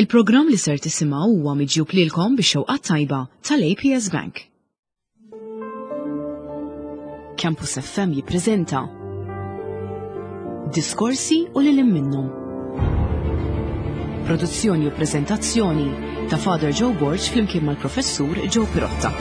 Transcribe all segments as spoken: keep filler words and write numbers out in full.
Il-programm li ser tisimgħu huwa miġjub lilkom bix-xewqa tajba tal-A P S Bank. Campus F M jippreżenta Diskorsi u lil minnhom. Produzzjoni u preżentazzjoni ta' Father Joe Borg flimkien mal-Professur Joe Pirotta.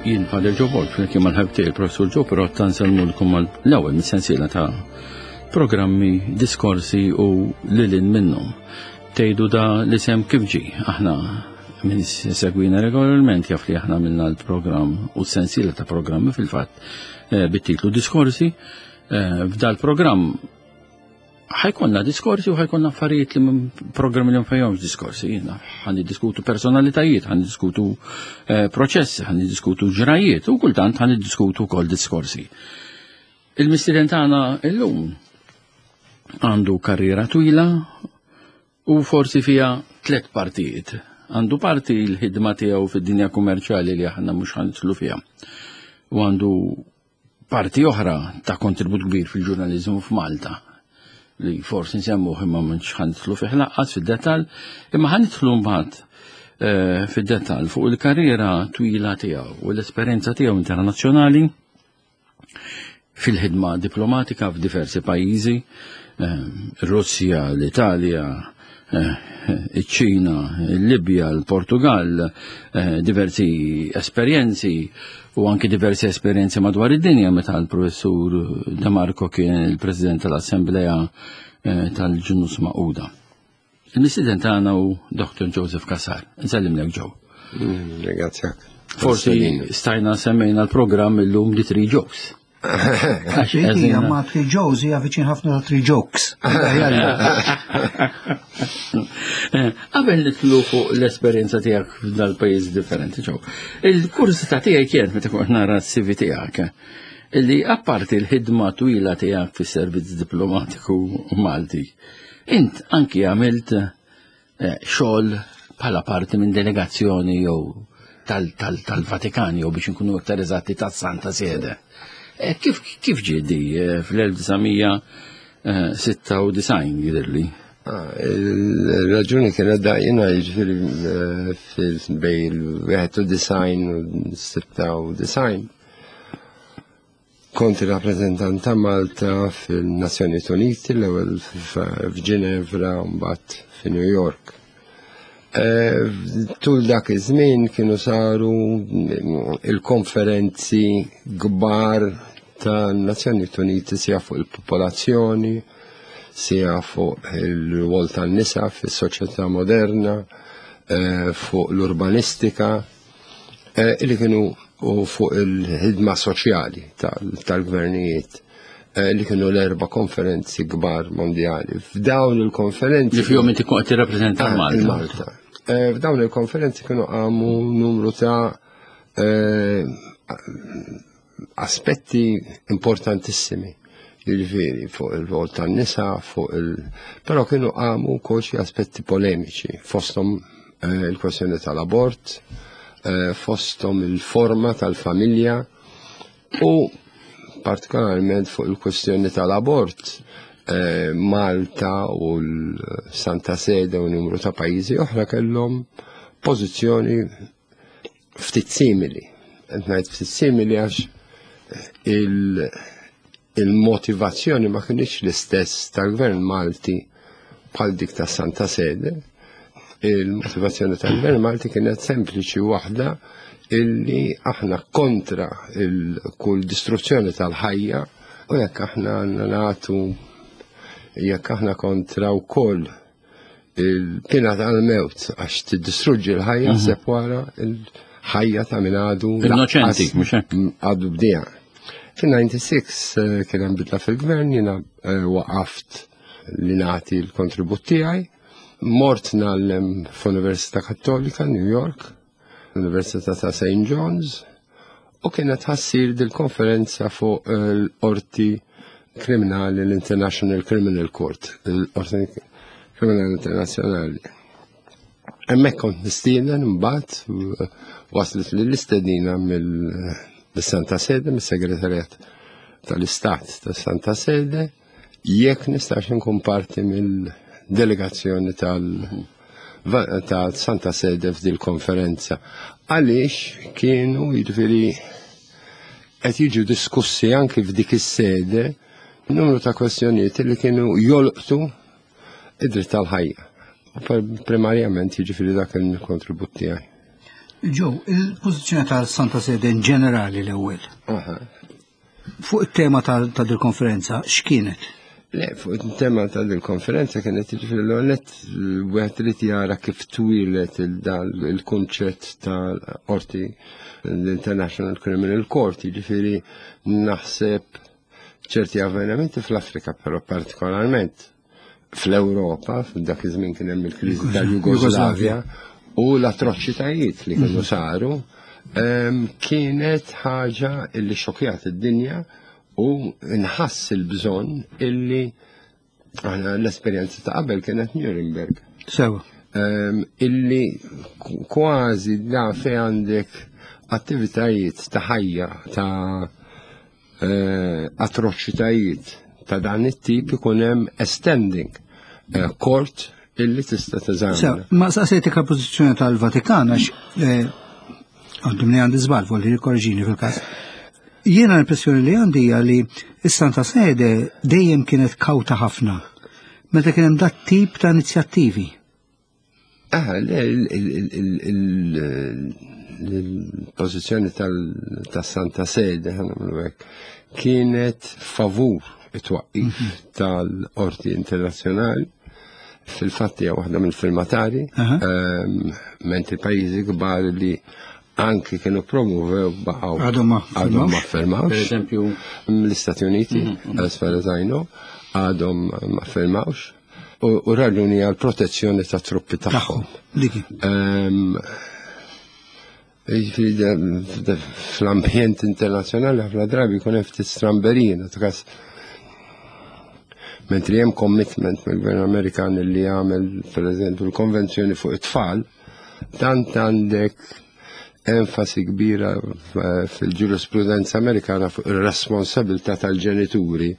Jien Father Joe Borg, flimkien mal-ħabib tiegħi il-Professur Joe Pirotta, nsellmulkom mal-ewwel mis-sensiela ta' programmi Diskorsi u lilin minnhom. Tgħidu da l-isem kif ġi? Aħna, min segwina regolarment jaf li aħna minna l-programm u s-sensiela ta' programmi fil-fatt eh, bit-titlu Diskorsi. Eh, f'dal programm ħa jkollna diskorsi u ħa jkollna affarijiet li minn programmi li ma diskorsi. Ħa niddiskutu personalitajiet, ħa niddiskutu eh, proċessi, ħa niddiskutu ġrajiet u kultant ħa niddiskutu kol diskorsi. Il-mistieden tagħna illum għandu karriera twila u forsi fija tlet partijiet. Għandu parti l-ħidma tiegħu fid-dinja kummerċjali li aħna mhux ħa nidħlu fiha. U għandu parti oħra ta' kontribut kbir fil-ġurnaliżmu f'Malta li forsi nsemmuh imma mhux ħa nidħlu fih lanqas fid-dettall, imma ħa nidħlu mbagħad eh, fid-dettall fuq il-karriera twila tiegħu u l-esperjenza tiegħu internazzjonali fil-ħidma diplomatika f'diversi pajjiżi, eh, Russja, l-Italja, eh, iċ-Ċina, il-Libja, il-Portugal, diversi esperjenzi u anki diversi esperjenzi madwar id-dinja meta l-professur De Marco kien il-President tal-Assemblea eh, tal-Ġnus Magħquda. Il-mistieden tagħna hu Doctor Joseph Cassar. Nsellimlek, Joe. Mm, ringrazzjak. Forsi stajna semmejna l-programm illum The Three Jokes. Għax hija ma' Three Joes hija viċin ħafna ta' Three Jokes. Eh, qabel nidħlu fuq l-esperjenza tiegħek f'dal-pajjiż differenti, Joe. Il-kurżità tiegħi kienet meta kont nara s-C V tiegħek illi apparti l-ħidma twila tiegħek fis-servizz diplomatiku Malti, int anki għamilt eh, xogħol bħala parti minn delegazzjoni jew tal-Vatikan jew, biex nkunu aktar eżatti, tas-Santa Sede. Eh, kif kif ġie di eh, fl-elf disa' mija sitta u disgħin jidhirli? Ah, il-raġuni kienet da jiena jiġifieri bejn il-wieħed u disgħin u sitta u disgħin kont il-rappresentant ta' Malta fil-Nazzjonijiet Uniti, l-ewwel f'Ġinevra u mbagħad fi New York. Eh, tul dak iż-żmien kienu saru il-konferenzi kbar ta' Nazzjonijiet Uniti sija fuq il-popolazzjoni, sija fuq il-rwol tan-nisa fis-soċjetà moderna, eh, fuq l-urbanistika, eh, li kienu u fuq il-ħidma soċjali tal-gvernijiet, li kienu l-erba konferenzi kbar mondjali. F'dawn il-konferenzi Li fihom inti kont tirrappreżenta ah, Malta. Malta. F'dawn il-konferenzi kienu għamu numru ta' aspetti importantissimi. Jiġifieri fuq il-rol tan-nisa, fuq il... Però kienu għamu wkoll xi aspetti polemiċi, fosthom il-kwestjoni tal-abort, fosthom il-forma tal-familja u partikolarment fuq il-kwestjoni tal-abort, eh, Malta u l-Santa Sede u numru ta' pajjiżi oħra kellhom pożizzjoni ftit simili. Qed ngħid ftit simili għax il-motivazzjoni ma kienx l-istess tal-Gvern Malti bħal dik ta' Santa Sede. Il-motivazzjoni tal-Gvern Malti kienet sempliċi waħda, illi aħna kontra il-kull distruzzjoni tal-ħajja u jekk aħna nagħtu, jekk aħna kontra wkoll il-pina tal-mewt għax tiddistruġġi l-ħajja, mhm. aħseb wara il-ħajja ta' min għadu Innoċenti, mhux hekk? Għadu bdija. Fil-disgħa u disgħin eh, kien hemm bidla fil-gvern, jiena eh, waqaft li nagħti l-kontribut tiegħi. Mort ngħallem f'Università Kattolika, New York, l-Università ta' Saint John's, U kienet ħa ssir dil-konferenza fuq l-Qorti Kriminali, l-International Criminal Court, l-Qorti Kriminali Internazzjonali. Hemmhekk kont mistieden, mbagħad waslet li l-istedina mill-Santa Sede, mis-Segretarjat tal-Istat tas-Santa Sede, jekk nistax nkun parti mill-delegazzjoni tal- ta' Santa Sede f'dil konferenza. Għaliex kienu, jiġifieri, qed jiġu diskussi anki f'dik is-sede numru ta' kwestjonijiet li kienu jolqtu id-dritt tal-ħajja. U primarjament, jiġifieri, dak il-kontribut tiegħi. Joe, il-pożizzjoni tal-Santa Sede in ġenerali l-ewwel. Fuq it-tema ta' dil-konferenza, x'kienet? Le, fuq il-tema ta' dil-konferenza kienet, jiġifieri, l-għonet wieħed irid jara kif twieled il-kunċett tal-qorti, l-International Criminal Court, jiġifieri naħseb ċerti avvenimenti fl-Afrika, però partikolarment fl-Europa, f'dak iż-żmien kien hemm il-kriżi tal-Jugoslavja u l-atroċitajiet li kienu saru, kienet ħaġa illi xokjat id-dinja u nħass il-bżonn illi aħna l-esperjenza ta' qabel kienet Nuremberg. Sewa. Illi kważi da fej għandek attivitajiet ta' ħajja ta' eh, atroċitajiet ta' dan it-tip ikun hemm standing eh, court illi tista' teżamina. Ma saqsejtek il-pożizzjoni tal-Vatikan għax eh, għandhom li għandi żball, volli rikorġini fil-każ. Jiena l-impressjoni li għandi hija li s-Santa Sede dejjem kienet kawta ħafna meta kien hemm dat tip ta' inizjattivi. Ah, l-pożizzjoni tas-Santa Sede, kienet favur it-twaqqif mhm. tal-Qorti Internazzjonali. Fil-fatti hija waħda mill-firmatari, ehm, mentri pajjiżi kbar li anki kienu promuvew baqgħu għadhom ma firmawx. Per eżempju, l-Istati Uniti, mhm, mhm. as far as I know, għadhom ma firmawx. U raġuni għal protezzjoni ta' truppi tagħhom. Ehm, fl-ambjent internazzjonali ħafna drabi jkun hemm ftit stramberija, ta' mentri hemm commitment mill-Gvern Amerikan li jagħmel, pereżempju, l-konvenzjoni fuq it-tfal, tant għandek enfasi kbira fil-ġurisprudenza Amerikana fuq ir-responsabilità tal-ġenituri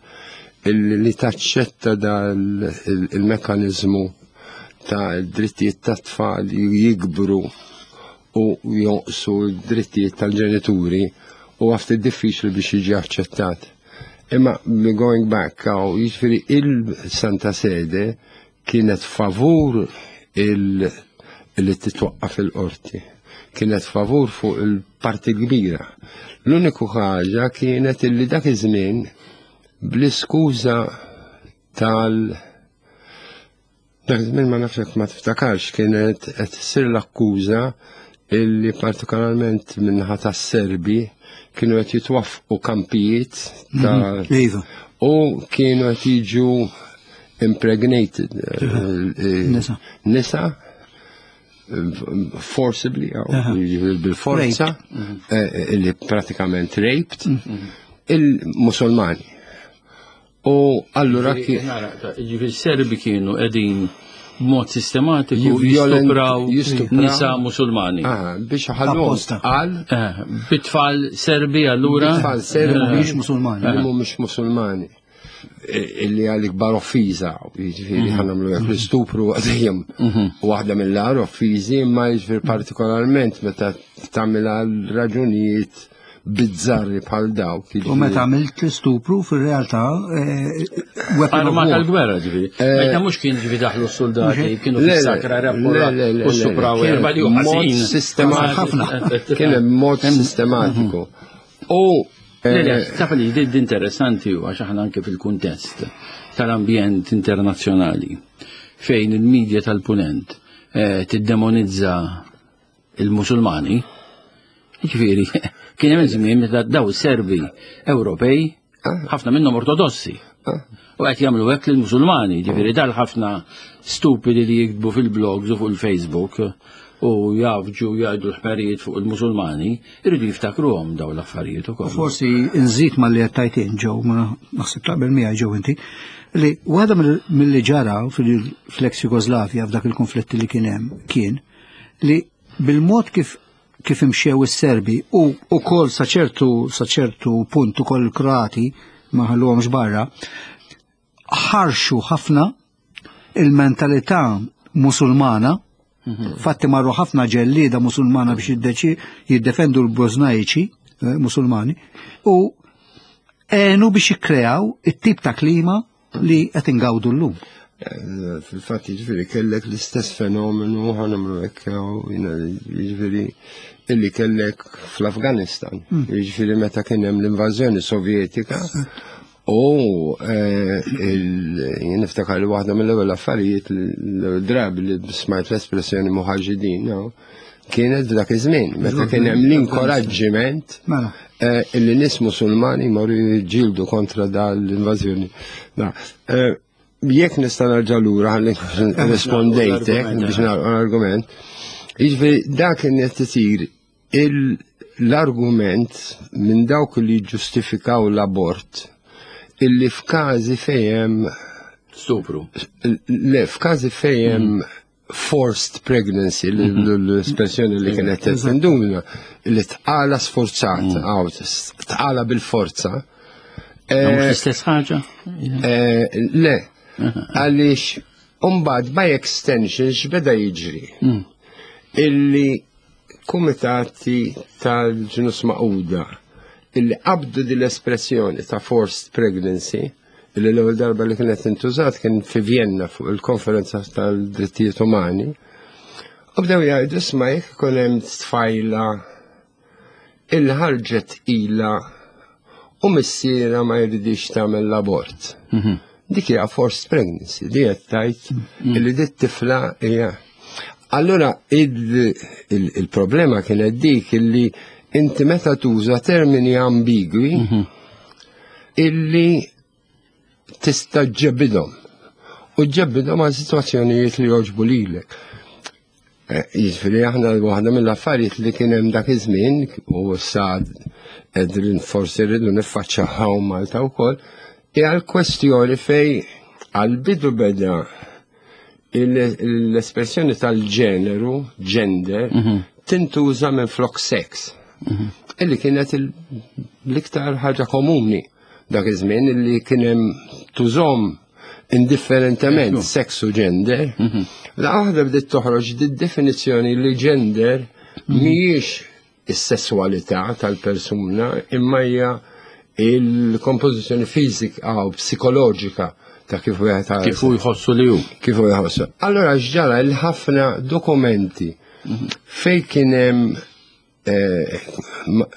illi li taċċetta dal il-mekanizmu ta' drittijiet ta' tfal jikbru u jonqsu d-drittijiet tal-ġenituri u għafti diffiċli biex jiġi aċċettat. Imma going back, għaw, jiġifieri il-Santa Sede kienet favur il- li titwaqqaf il-qorti. Kienet favur fuq il-parti kbira. L-uniku ħaġa kienet illi dak iż-żmien bl-iskuża tal- dak iż-żmien, ma nafx ma tiftakarx, kienet qed issir l-akkuża illi partikolarment minnaħa tas-Serbi kienu qed jitwaffqu kampijiet ta' mhm, iva. u kienu qed jiġu impregnated eh, nisa. Nisa forcibly, bil-forza, eh, illi pratikament raped mhm. il-Musulmani. U allura Ġifieri Serbi kienu qegħdin b'mod sistematiku jistupraw nisa Musulmani. Ah, biex ħallu għal. Eh, bit-tfal Serbi allura. Bitfall Serbi mhux Musulmani. Li mhumiex Musulmani. Illi għal ikbar offiża, jiġifieri ħa nagħmlu hekk, l-istupru dejjem waħda mill-agħar offiżi, imma jiġifieri partikolarment meta tagħmel għal raġunijiet bizzarri bħal dawk. U meta għamilt l-istupru fil-realtà Arma tal-gwerra, ġifieri. Meta mhux kien, ġifieri, daħlu s-soldati, kienu fis-sakra u stupraw erba' li Mod sistematiku. Ħafna. Kien hemm mod sistematiku. U Le, le, taf li di interessanti u għax aħna anke fil-kuntest tal-ambjent internazzjonali fejn il-medja tal-punent eh, tiddemonizza il-Musulmani, ġifieri, kien hemm żmien meta daw Serbi Ewropej, ħafna minnhom ortodossi, u qed jagħmlu hekk lill-Musulmani, ġifieri dal ħafna stupidi li jiktbu fil-blogs u fuq il-Facebook. u jafġu jgħidu l-ħmerijiet fuq il-Musulmani, irridu jiftakruhom daw l-affarijiet ukoll. Forsi nżid ma li għattajtin ġew, ma naħseb taqbel miegħi ġew inti, li waħda mill-li ġara fil-ex Jugoslavja f'dak il-konflitti li kien hemm kien li bil-mod kif kif imxew is-Serbi u ukoll sa ċertu sa ċertu punt ukoll il-Kroati ma ħalluhomx barra, ħarxu ħafna il-mentalità musulmana. Fatti marru ħafna ġellieda musulmana biex jiddeċi jiddefendu l-Bosnajċi eh, musulmani u għenu biex jikkreaw it-tip ta' klima li qed ingawdu llum. Eh, Fil-fatt jiġifieri kellek l-istess fenomenu ħa nagħmlu hekk jiena jiġifieri illi kellek fl-Afganistan. Jiġifieri meta kien hemm l-invażjoni Sovjetika u eh, il- jien niftakar li waħda mill-ewwel affarijiet l-ewwel drabi li smajt l-espressjoni muħaġidin, no, kienet f'dak iż-żmien meta kien hemm l-inkoraġġiment Mela. eh, illi nies musulmani marru jiġġieldu kontra dal-invażjoni. Da, eh, Jekk nista' nerġa' lura ħalli rispondejtek biex nagħlqu l-argument. Jiġifieri dak kien qed isir il- l-argument minn dawk li ġustifikaw l-abort illi f'każi fejn Stupru. le f'każi fejn forced pregnancy, l- l- l-espressjoni li kienet tenduna, li tqala sforzata, għaw, tqala bil-forza. Ma mhux l-istess ħaġa? Eh, Le, għaliex umbagħad by extension x'beda jiġri? Illi kumitati tal-Ġnus Magħquda illi qabdu din l-espressjoni ta' forced pregnancy illi l-ewwel darba li kienet intużat kien fi Vienna fuq il-konferenza tal-drittijiet umani. U bdew jgħidu isma' jekk ikun hemm tfajla illi ħarġet ila u missiera ma jridix tagħmel l-abort. Dik hija forced pregnancy, di qed tgħid illi dit tifla hija. Allura il- il- il-problema kienet dik illi inti meta tuża termini ambigwi illi tista' ġġebbidhom. U ġġebbidhom għal sitwazzjonijiet li joġbu lilek. Eh, Jiġifieri aħna waħda mill-affarijiet li kien hemm dak iż-żmien u issa qegħdin forsi rridu niffaċċjaw Malta wkoll, hija l-kwestjoni fej għal-bidu beda il- l-espressjoni tal-ġeneru, gender, tintuża minn flok sex. Illi kienet il- l-iktar ħaġa komuni dak iż-żmien illi kien hemm tużom indifferentement seks u gender. La waħda bdiet toħroġ di definizzjoni li gender mhijiex is-sesswalità tal-persuna imma hija il-kompożizzjoni fiżika u psikoloġika ta' kif wieħed Kif hu jħossu li hu. kif hu jħossu. Allora x'ġara il-ħafna dokumenti fej kien hemm eh, ma-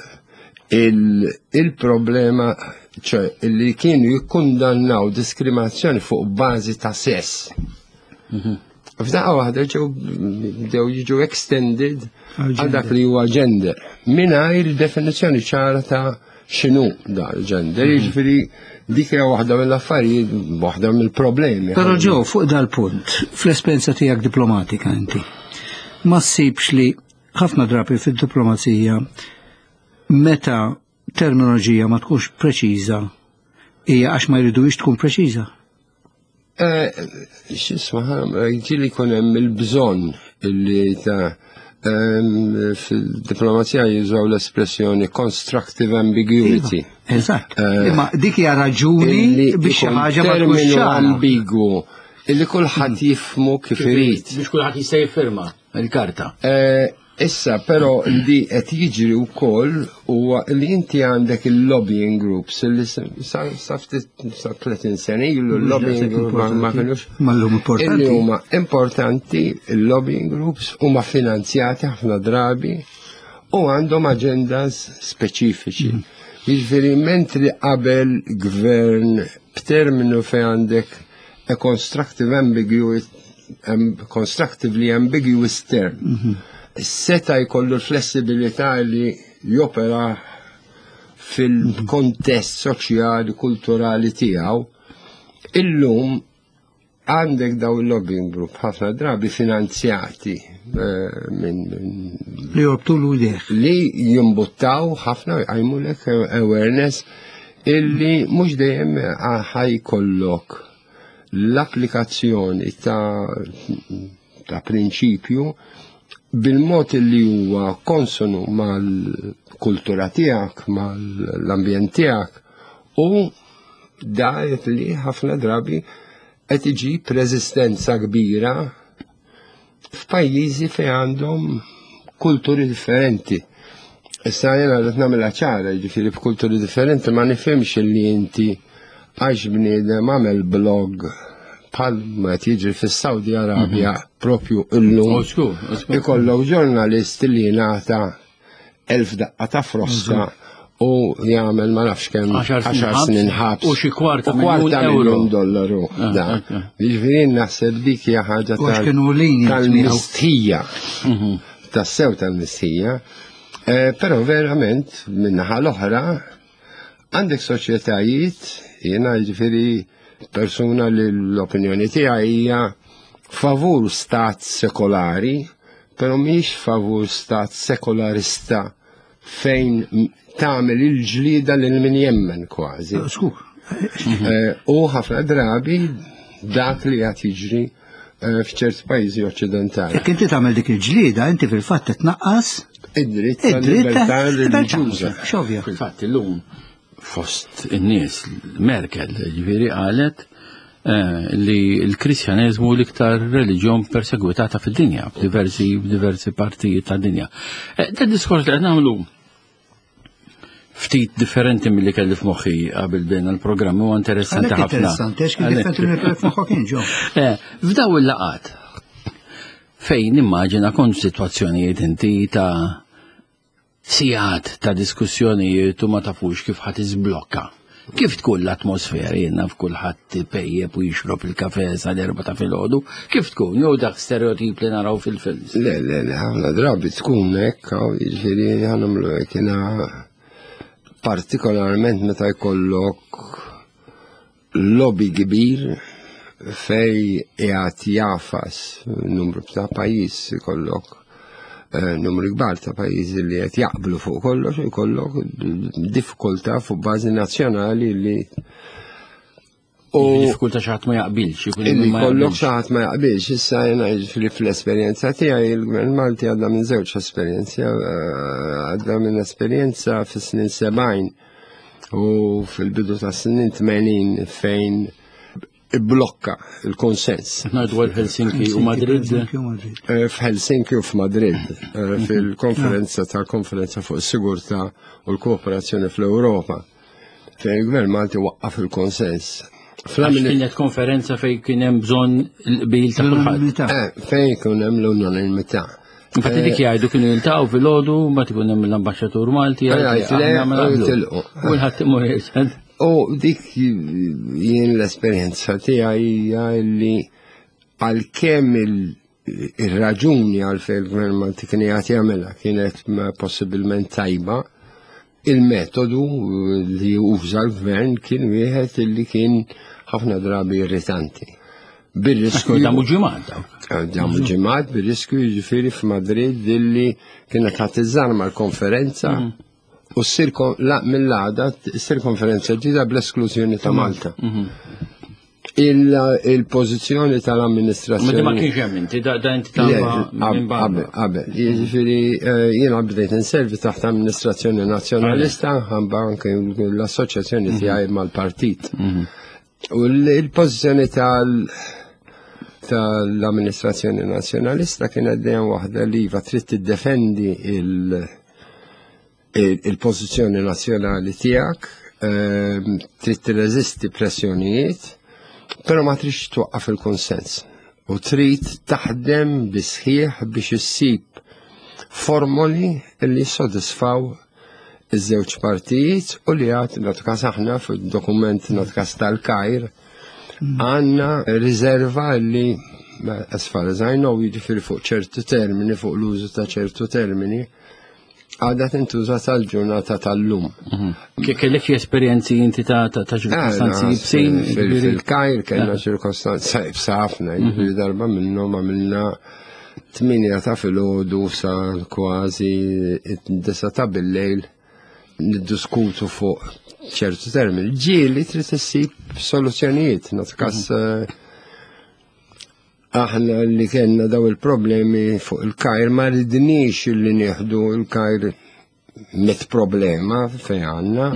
il- il-problema ċe li kienu jikkundannaw diskriminazzjoni fuq bażi ta' sess. F'daqqa waħda ġew bdew jiġu extended għal dak li huwa gender mingħajr definizzjoni ċara ta' x'inhu da l-gender. Jiġifieri dik hija waħda mill-affarijiet, waħda mill-problemi. Però ġew fuq dal-punt, fl-esperjenza tiegħek diplomatika inti, ma ssibx li ħafna drabi fid-diplomazija meta terminoloġija ma tkunx preċiża hija għax ma jridux tkun preċiża. Eh, X'isma, ġieli jkun hemm il-bżonn illi ta' em, fil-diplomazija jużaw l-espressjoni constructive ambiguity. Eżatt. Eh, Imma dik hija raġuni Illi biex xi ikun ħaġa ma tkunx terminu ċara. ambigu illi kulħadd jifmu kif irid. Biex kulħadd jista' jiffirma il-karta. Eh, Issa, però li qed jiġri wkoll huwa li inti għandek il-lobbying groups illi sa sa ftit sa tletin sena ilu l-lobbying group ma ma kinux Ma llum importanti. Illi huma importanti il-lobbying groups huma finanzjati ħafna drabi u għandhom agendas speċifiċi. Jiġifieri mentri qabel gvern b'terminu fejn għandek a constructive ambiguous um, constructively ambiguous term. Seta jkollu l-flessibilità li jopera fil-kontest soċjali, kulturali tiegħu, illum Għandek daw il-lobbying group ħafna drabi finanzjati eh, minn Li jorbtu l-udeħ. li jimbuttaw ħafna jqajmulek awareness illi mhux dejjem ħajkollok l-applikazzjoni ta' ta' prinċipju bil-mod li huwa konsonu mal-kultura tiegħek, mal-ambjent tiegħek u da li ħafna drabi qed iġib reżistenza kbira f'pajjiżi fejn għandhom kulturi differenti. Issa jena qed nagħmilha ċara, jiġifieri b'kulturi differenti ma nifhimx li inti għax bniedem għamel blog bħal ma qed jiġri fis-Saudi Arabja propju illum. Osku, osku. Ikollok ġurnalist li jingħata elf daqqa ta' frosta u jagħmel ma nafx kemm Għaxar snin għaxar ħabs snin ħabs u xi kwarta u kwarta miljun euro. miljun dollaru. Ah, Da. ok. Jiġifieri naħseb dik hija ħaġa U għax tal- kienu lenient miegħu. tal-mistħija, tas-sew tal-mistħija. Eh, Però verament min-naħa l-oħra għandek soċjetajiet, jiena jiġifieri persuna li l-opinjoni tiegħi hija favur stat sekolari, però mhix favur stat sekolarista fejn tagħmel il-ġlida lil min jemmen kważi. Skur. Eh, U ħafna drabi dak li qed jiġri eh, f'ċerti pajjiżi oċċidentali. Jekk inti tagħmel dik il-ġlieda, inti fil-fatt tnaqqas Id-dritt id-dritt tal-libertà reliġjuża. Xovja. Fil-fatt illum fost in-nies Merkel ġifieri qalet eh, li l-Kristjaneżmu l-iktar reliġjon persegwitata fid-dinja, f'diversi f'diversi partijiet tad-dinja. Eh, Da diskors li qed nagħmlu ftit differenti milli kelli f'moħħi qabel bejna l-programm huwa interessanti Għalhekk ħafna. interessanti, għax kien differenti minn kelli f'moħħok kien ġo. Eh, F'daw il-laqat fejn immaġina kont situazzjonijiet inti ta' sigħat ta' diskussjonijiet u ma tafux kif ħadd iżblokka. Kif tkun l-atmosfera jiena f'kulħadd pejjeb u jixrob il-kafe sal-erba ta' filgħodu, kif tkun jew dak stereotip li naraw fil-films. Le, le, le, ħafna drabi tkun hekk, hawn, jiġifieri ħanamlu hekk jiena partikolarment meta jkollok lobby kbir fej qiegħed jafas numru ta' pajjiż ikollok eh, numru kbar ta' pajjiżi li qed jaqblu fuq kollox u jkollok diffikultà fuq bażi nazzjonali li u Diffikultà xi ħadd ma jaqbilx, ikun hemm Illi min ma kollok jaqbilx. xi ħadd ma jaqbilx, issa jiena jiġifieri fl-esperjenza tiegħi il-Gvern Malti għadda minn żewġ esperjenzi, eh, għadda minn esperjenza fis-snin sebgħin u fil-bidu ta' snin tmenin fejn blokka il-konsens. Ngħidu għal Helsinki u Madrid. Helsinki u Madrid. Eh, F'Helsinki u f'Madrid, eh, fil-konferenza tal-konferenza fuq is-sigurtà u l-kooperazzjoni fl-Ewropa, fejn il-Gvern Malti waqqaf il-konsens. Għax Fl-amini- kienet konferenza fejn kien hemm bżonn il-qbil ta' kulħadd. L-unanimità. Eh, fejn ikun hemm l-unanimità. Infatti dik jgħidu kienu jiltaqgħu filgħodu, mbagħad ikun hemm l-ambaxxatur Malti Eh, jgħid jgħid le, aħna ma u naqblu. jitilqu. Kulħadd imur jgħid. U dik jien l-esperjenza tiegħi hija li għalkemm il- ir-raġuni għalfejn il-Gvern Malti kien qiegħed jagħmilha kienet ma possibilment tajba, il-metodu li uża l-gvern kien wieħed li kien ħafna drabi irritanti. Bir-riskju Damu ġimgħat dawk. Damu ġimgħat bir-riskju jiġifieri f'Madrid illi kienet ħadd iżżarma l-konferenza u ssir kon- la- mill-għada ssir konferenza ġdida bl-esklużjoni ta' Malta. Il- Il-pożizzjoni Ma di ma tal-amministrazzjoni. kienx hemm inti, da da inti Le, tagħmel minn Qabel, barra. qabel. Jiġifieri eh, jiena bdejt inservi taħt amministrazzjoni nazzjonalista ħamba anke l-assoċjazzjoni tiegħi mal-partit. U l- il-pożizzjoni tal- tal-amministrazzjoni nazzjonalista kienet dejjem waħda li iva trid tiddefendi il- il- il-pożizzjoni nazzjonali tiegħek, ehm, trid tirreżisti pressjonijiet, però ma tridx twaqqaf il-konsens. U trid taħdem bisħieħ biex issib formoli li jissodisfaw iż-żewġ partijiet u li għad nagħtu aħna fil-dokument nagħtu tal-Kajr għandna riserva li as far as I know jiġifieri fuq ċertu termini, fuq l-użu ta' ċertu termini, Għadha tintuża sal-ġurnata tal-lum. Kellek xi esperjenzi inti ta' ta' ċirkostanzi ibsin? Fil-Kajr kellna ċirkostanza ibsa ħafna, jiġifieri darba minnhom għamilna tmienja ta' filgħodu sa kważi disa ta' bil-lejl niddiskutu fuq ċertu termini. Ġieli trid issib soluzzjonijiet, nagħti kas aħna li kellna daw il-problemi fuq il-Kajr ma ridniex li nieħdu il-Kajr met problema fejn għandna.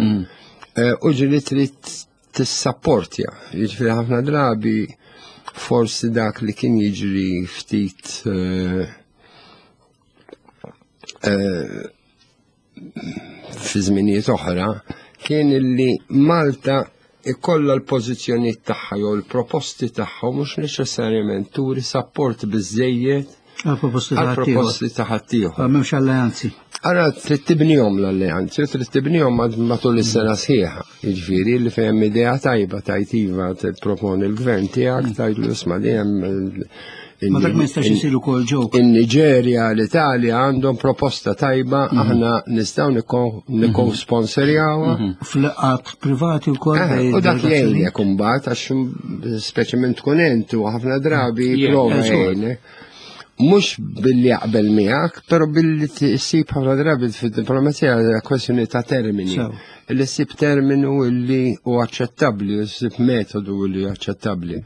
U ġieli trid tissapportja. Jiġifieri ħafna drabi forsi dak li kien jiġri ftit eh, eh, fi żminijiet oħra kien illi Malta ikollha l-pożizzjonijiet tagħha jew l-proposti tagħha u mhux neċessarjament turi support biżejjed Għal-proposti ta' ħaddieħor. għal-proposti ta' ħaddieħor. M'hemmx alleanzi. Ara trid tibnihom l-alleanzi, u trid tibnihom matul is-sena sħiħa. Jiġifieri li fejn hemm idea tajba tajt iva tipproponi l-gvern tiegħek tgħidlu isma' li hemm Ma dak ma jistax isir ukoll ġew. In-Niġerja, l-Italja għandhom proposta tajba, aħna nistgħu nikko-sponsorjawha. F'laqgħat privati wkoll. Eh, bejn U dak delegazzjoni. jgħinek imbagħad għax speċjalment tkun int u ħafna drabi Yeah, prova eh, żgur. jgħinek. Mhux billi jaqbel miegħek, però billi tsib ħafna drabi fid-diplomazija hija kwestjoni ta' termini. Sew. Illi ssib terminu illi hu aċċettabbli, u ssib metodu li aċċettabbli.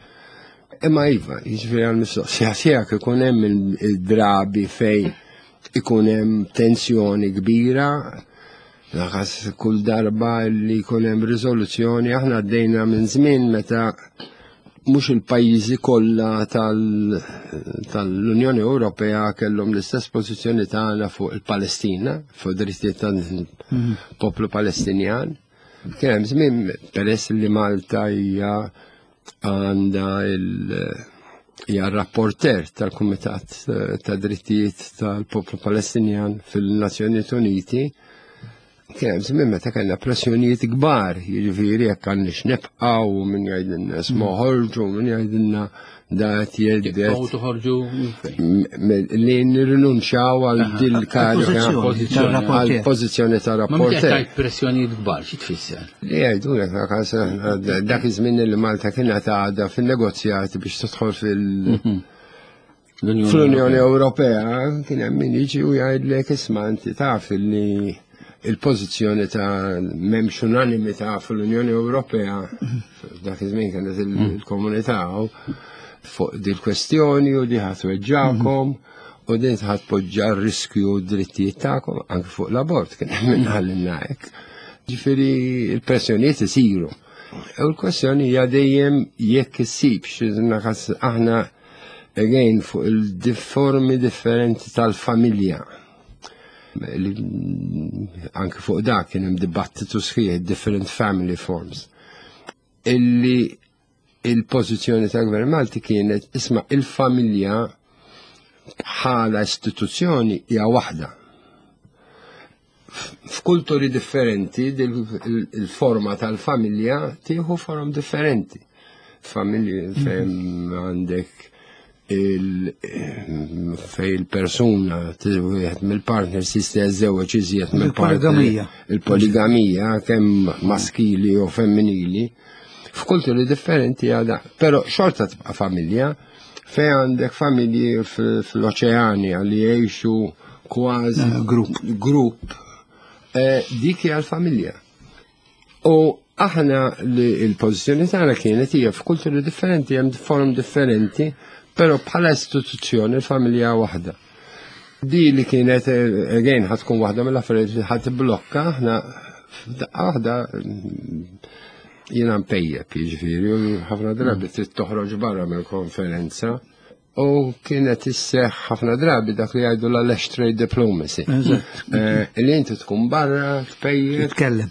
Imma iva, jiġifieri għal-mistoqsija tiegħek ikun hemm il-drabi fejn ikun hemm tensjoni kbira, Naħas kull darba li jkun hemm riżoluzzjoni, aħna għaddejna minn żmien meta mhux il-pajjiżi kollha tal- tal-Unjoni Ewropea kellhom l-istess pożizzjoni tagħna fuq il-Palestina, fuq drittijiet tal-poplu Palestinjan. Kien hemm żmien peress li Malta hija għandha il- hija rapporter tal-Kumitat eh, ta' Drittijiet tal-Poplu Palestinjan fil-Nazzjonijiet Uniti. Kien hemm żmien meta kellna pressjonijiet kbar, jiġifieri jekk għandniex nibqgħu min jgħidilna isma' ħorġu, min jgħidilna da qed jgħidet Tibqgħu toħorġu m- li nirrinunċjaw għal dil-karika Pożizzjoni tal-rapporter. għal pożizzjoni ta' Ma meta rapporter. tajt pressjonijiet kbar, xi tfisser? Li jgħidu lek dak iż-żmien li Malta kienet għadha fin-negozjati biex tidħol fil- L-Unjoni fl-Unjoni Ewropea kien hemm min jiġi u jgħidlek isma' inti taf li il-pożizzjoni ta' m'hemmx unanimità fl-Unjoni Ewropea dak iż-żmien kienet il-komunità u fuq dil-kwestjoni u di ħa tweġġagħkom u din ħa tpoġġa riskju d-drittijiet tagħkom anke fuq l-abort kien hemm min qalilna hekk. Ġifieri il-pressjonijiet isiru. U l-kwestjoni hija dejjem jekk issibx, naħas aħna again fuq il-formi differenti tal-familja. Li- Anke fuq dak kien hemm dibattitu sħiħ, different family forms. Illi il-pożizzjoni tal-Gvern Malti kienet isma' il-familja bħala istituzzjoni hija waħda. F'kulturi differenti dil- il-forma tal-familja tieħu forom differenti. Familji fejn għandek il fej il-persuna wieħed mill-partners jista' jiżżewweġ iżjed mill-partner. Il-poligamija. Il-poligamija kemm maskili u femminili. F'kulturi differenti għada, però xorta tibqa' familja fej għandek familji fl-oċeania li jgħixu kważi Eh, grupp. grupp eh, dik hija l-familja. U aħna li il-pożizzjoni tagħna kienet hija f'kulturi differenti, hemm forom differenti, però bħala istituzzjoni l-familja waħda. Di li kienet eh, again ħa tkun waħda mill-affarijiet li ħa tibblokka aħna f'daqqa waħda mm, jiena mpejjep, jiġifieri, u ħafna drabi trid toħroġ barra mill-konferenza. U kienet isseħ ħafna drabi dak li jgħidu la trade diplomacy. Eżatt. Eh, Li inti tkun barra, tpejjep, Titkellem.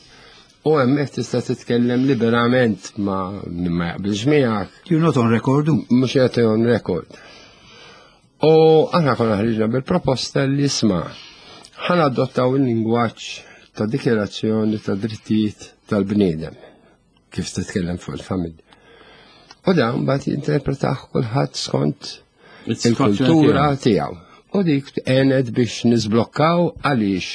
u hemmhekk tista' titkellem liberament ma min ma jaqbilx miegħek, You're not on record. mhux qed on record. U aħna konna ħriġna bil-proposta li isma' ħa nadottaw il-lingwaġġ ta' dikjerazzjoni ta' drittijiet tal-bniedem kif titkellem fuq il-familja. U dan mbagħad jinterpretah kulħadd skont il-kultura tiegħu. U dik għenet biex nisblokkaw għaliex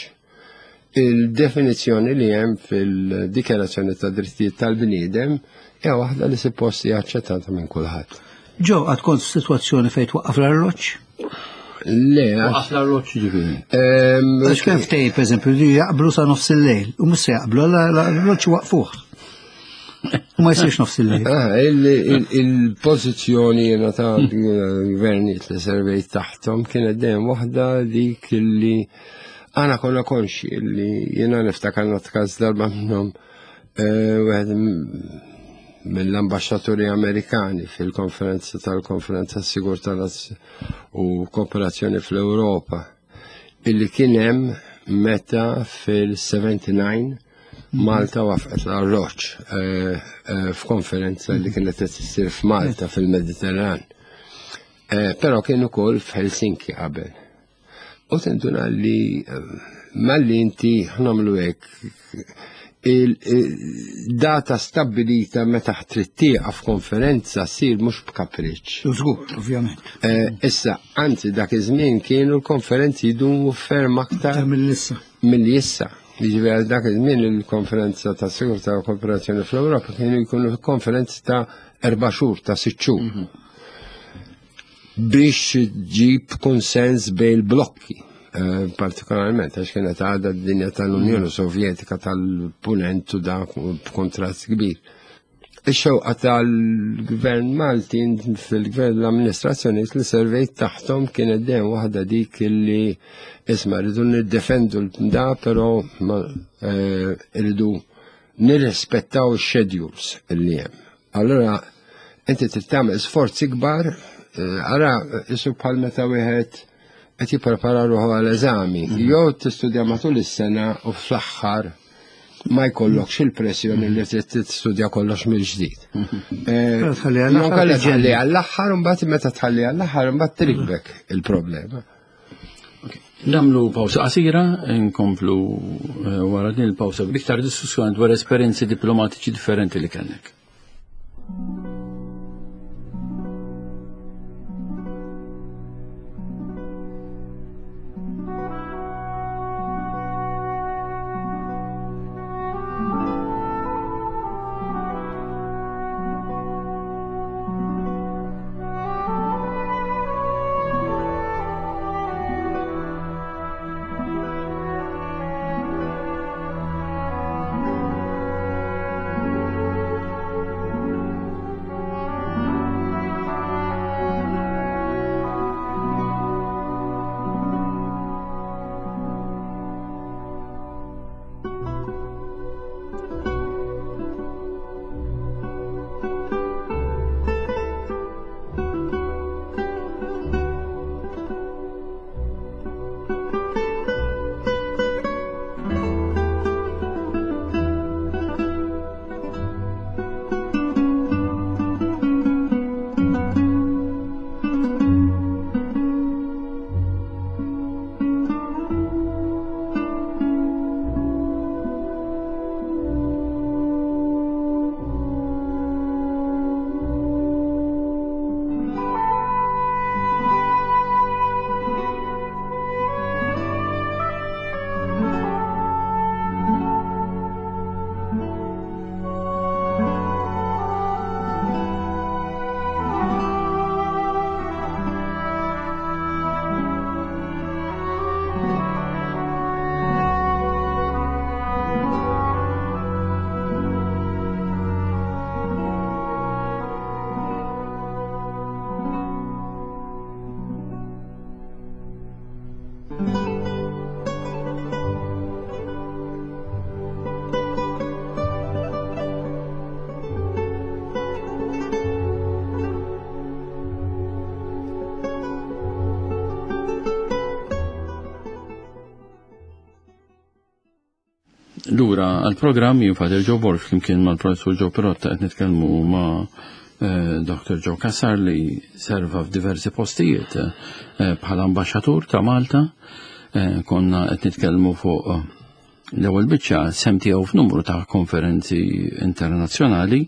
Il-definizzjoni li hemm fil-Dikjarazzjoni ta' Drittijiet tal-Bniedem hija waħda li suppost hija aċċettata minn kulħadd. Ġo, għad kont f'sitwazzjoni fejn twaqqaf l-arloġġ? Le, Waqqaf l-arloġġ ġifieri. Għax kien ftehim, pereżempju, li jaqblu sa nofs il-lejl, u mhux se jaqblu, l-arloġġ waqfuh. U ma jsirx nofs il-lejl. Ah, il-pożizzjoni jiena ta' gvernijiet li servejt taħthom kienet dejjem waħda dik li għana konna konxi li jiena niftakar natkaż darba minnhom wieħed mill-ambaxxaturi Amerikani fil-konferenza tal-Konferenza Sigurtà u Kooperazzjoni fl-Ewropa illi kien hemm meta fil-sebgħa u sebgħin Malta waqfet l-arloġġ f'konferenza li kienet qed issir f'Malta fil-Mediterran. Però kien ukoll f'Helsinki qabel. U tinduna li malli inti ħnamlu hekk il-data stabbilita meta trid tieqaf f'konferenza ssir mhux b'kapriċċ. Żgur, ovvjament. Issa, anzi dak iż-żmien kienu l-konferenzi jdumu ferm aktar mill-issa. Mill-issa. Jiġifieri dak iż-żmien il-konferenza ta' Sigurtà u Kooperazzjoni fl-Ewropa kienu jkunu konferenzi ta' erba' xhur, ta' sitt xhur. Biex ġib konsens bejn il-blokki, partikolarment għax kienet għadha d-dinja tal-Unjoni Sovjetika tal-Punent u dak b'kontrast kbir. Ix-xewqa tal-Gvern Malti fil-Gvern l-amministrazzjoni li servejt taħtom kienet dejjem waħda dik li isma' rridu niddefendu da, però rridu nirrispettaw ix-schedules li hemm. Allora inti trid tagħmel sforzi kbar, ara isu bħal meta wieħed qed jipprepara ruħu għal eżami, jew tistudja matul is-sena u fl-aħħar ma jkollokx il-pressjoni li trid tistudja kollox mill-ġdid. Tħalli għall-aħħar, tħalli għall-aħħar, imbagħad meta tħalli għall-aħħar imbagħad trikbek il-problema. Nagħmlu pawsa qasira, nkomplu wara din il-pawsa b'iktar diskussjoni dwar esperjenzi diplomatiċi differenti li kellek. Lura għal-programm jien Father Joe Borg flimkien mal-Professur Joe Pirotta qed nitkellmu ma' Doctor Joe Cassar li serva f'diversi postijiet bħala ambaxxatur ta' Malta. Konna qed nitkellmu fuq l-ewwel biċċa sem tiegħu f'numru ta' konferenzi internazzjonali.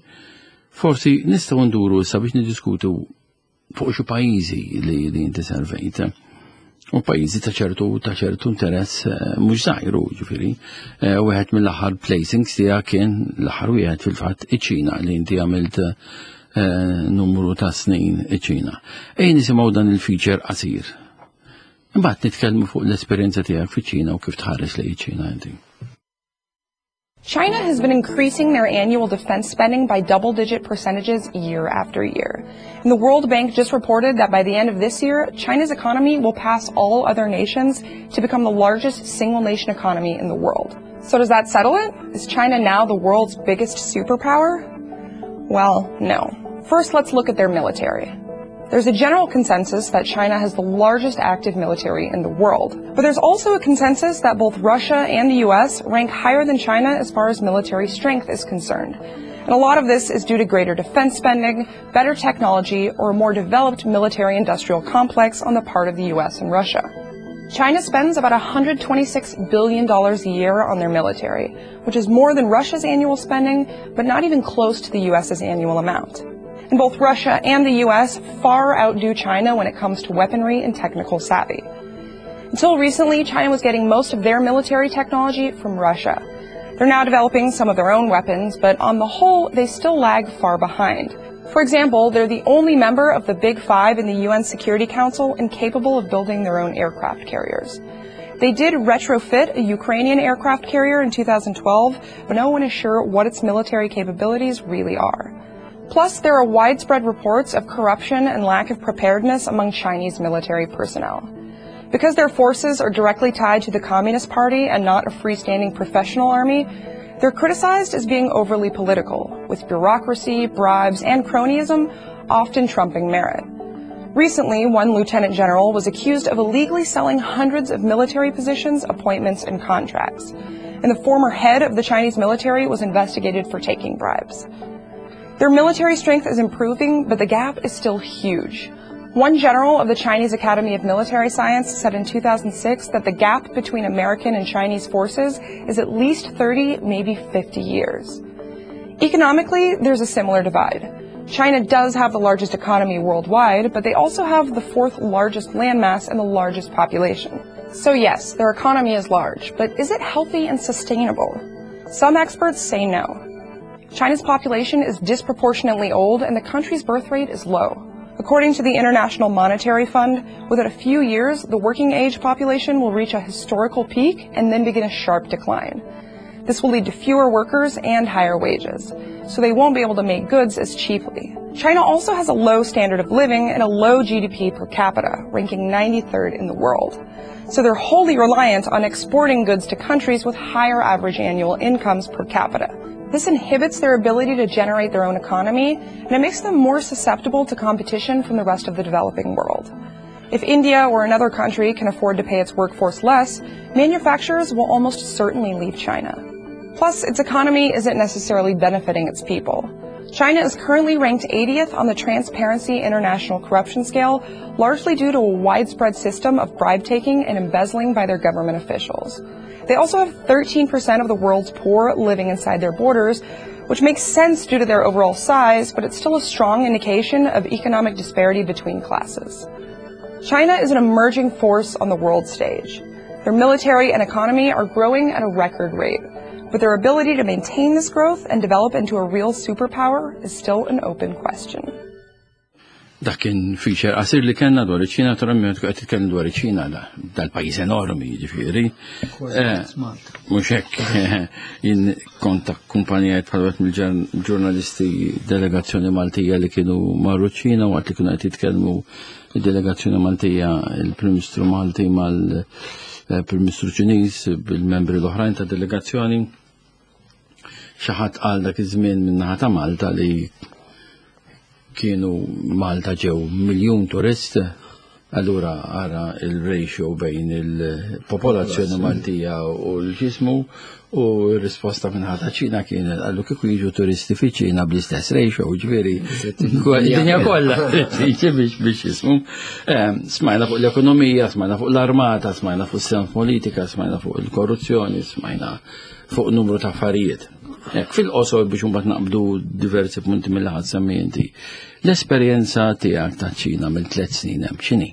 Forsi nistgħu nduru issa biex niddiskutu fuq xi pajjiżi li li inti servejt. U pajjiżi ta' ċertu ta' ċertu interess eh, mhux żgħir, ġifieri. Eh, wieħed mill-aħħar placings tiegħek kien l-aħħar wieħed fil-fatt iċ-Ċina, li inti għamilt eh, numru ta' snin iċ-Ċina. Ejja nisimgħu dan il-feature qasir. Imbagħad nitkellmu fuq l-esperjenza tiegħek fiċ-Ċina u kif tħares lejn iċ-Ċina inti. China has been increasing their annual defense spending by double digit percentages year after year. And the World Bank just reported that by the end of this year, China's economy will pass all other nations to become the largest single nation economy in the world. So does that settle it? Is China now the world's biggest superpower? Well, no. First, let's look at their military. There's a general consensus that China has the largest active military in the world. But there's also a consensus that both Russia and the U S rank higher than China as far as military strength is concerned. And a lot of this is due to greater defense spending, better technology, or a more developed military industrial complex on the part of the U S and Russia. China spends about one hundred twenty-six billion dollars a year on their military, which is more than Russia's annual spending, but not even close to the U S's annual amount. And both Russia and the U S far outdo China when it comes to weaponry and technical savvy. Until recently, China was getting most of their military technology from Russia. They're now developing some of their own weapons, but on the whole, they still lag far behind. For example, they're the only member of the Big Five in the U N Security Council incapable of building their own aircraft carriers. They did retrofit a Ukrainian aircraft carrier in twenty twelve, but no one is sure what its military capabilities really are. Plus, there are widespread reports of corruption and lack of preparedness among Chinese military personnel. Because their forces are directly tied to the Communist Party and not a freestanding professional army, they're criticized as being overly political, with bureaucracy, bribes, and cronyism often trumping merit. Recently, one lieutenant general was accused of illegally selling hundreds of military positions, appointments, and contracts. And the former head of the Chinese military was investigated for taking bribes. Their military strength is improving, but the gap is still huge. One general of the Chinese Academy of Military Science said in two thousand six that the gap between American and Chinese forces is at least thirty, maybe fifty years. Economically, there's a similar divide. China does have the largest economy worldwide, but they also have the fourth largest landmass and the largest population. So yes, their economy is large, but is it healthy and sustainable? Some experts say no. China's population is disproportionately old and the country's birth rate is low. According to the International Monetary Fund, within a few years, the working age population will reach a historical peak and then begin a sharp decline. This will lead to fewer workers and higher wages, so they won't be able to make goods as cheaply. China also has a low standard of living and a low G D P per capita, ranking ninety-third in the world. So they're wholly reliant on exporting goods to countries with higher average annual incomes per capita. This inhibits their ability to generate their own economy, and it makes them more susceptible to competition from the rest of the developing world. If India or another country can afford to pay its workforce less, manufacturers will almost certainly leave China. Plus, its economy isn't necessarily benefiting its people. China is currently ranked eightieth on the Transparency International corruption scale, largely due to a widespread system of bribe-taking and embezzling by their government officials. They also have thirteen percent of the world's poor living inside their borders, which makes sense due to their overall size, but it's still a strong indication of economic disparity between classes. China is an emerging force on the world stage. Their military and economy are growing at a record rate, but their ability to maintain this growth and develop into a real superpower is still an open question. Dak kien feature qasir li kellna dwar iċ-Ċina, naturalment qed titkellem dwar iċ-Ċina, dal-pajjiż enormi, jiġifieri. Mhux hekk, jien kont akkumpanjajt bħal wieħed mill-ġurnalisti delegazzjoni Maltija li kienu marru ċ-Ċina. Waqt li kienu qed jitkellmu id-delegazzjoni Maltija, il-Prim Ministru Malti mal-Prim Ministru Ċiniż bil-membri l-oħrajn ta' delegazzjoni, xi ħadd qal dak iż-żmien min-naħa ta' Malta li kienu Malta ġew miljun turist, allura ara il-ratio bejn il-popolazzjoni Maltija u l-ġismu, u r-risposta minn ħata Ċina kienet għallu kieku jiġu turisti fi Ċina bl-istess ratio, ġifieri, dinja kollha, biex biex jismu. Smajna fuq l-ekonomija, smajna fuq l-armata, smajna fuq s politika, smajna fuq il-korruzzjoni, smajna fuq numru ta' affarijiet. Fil-qosor, biex mbagħad naqbdu diversi punti mill-ħadd semmi inti. L-esperjenza tiegħek ta' Ċina mill tliet snin hemm x'inhi?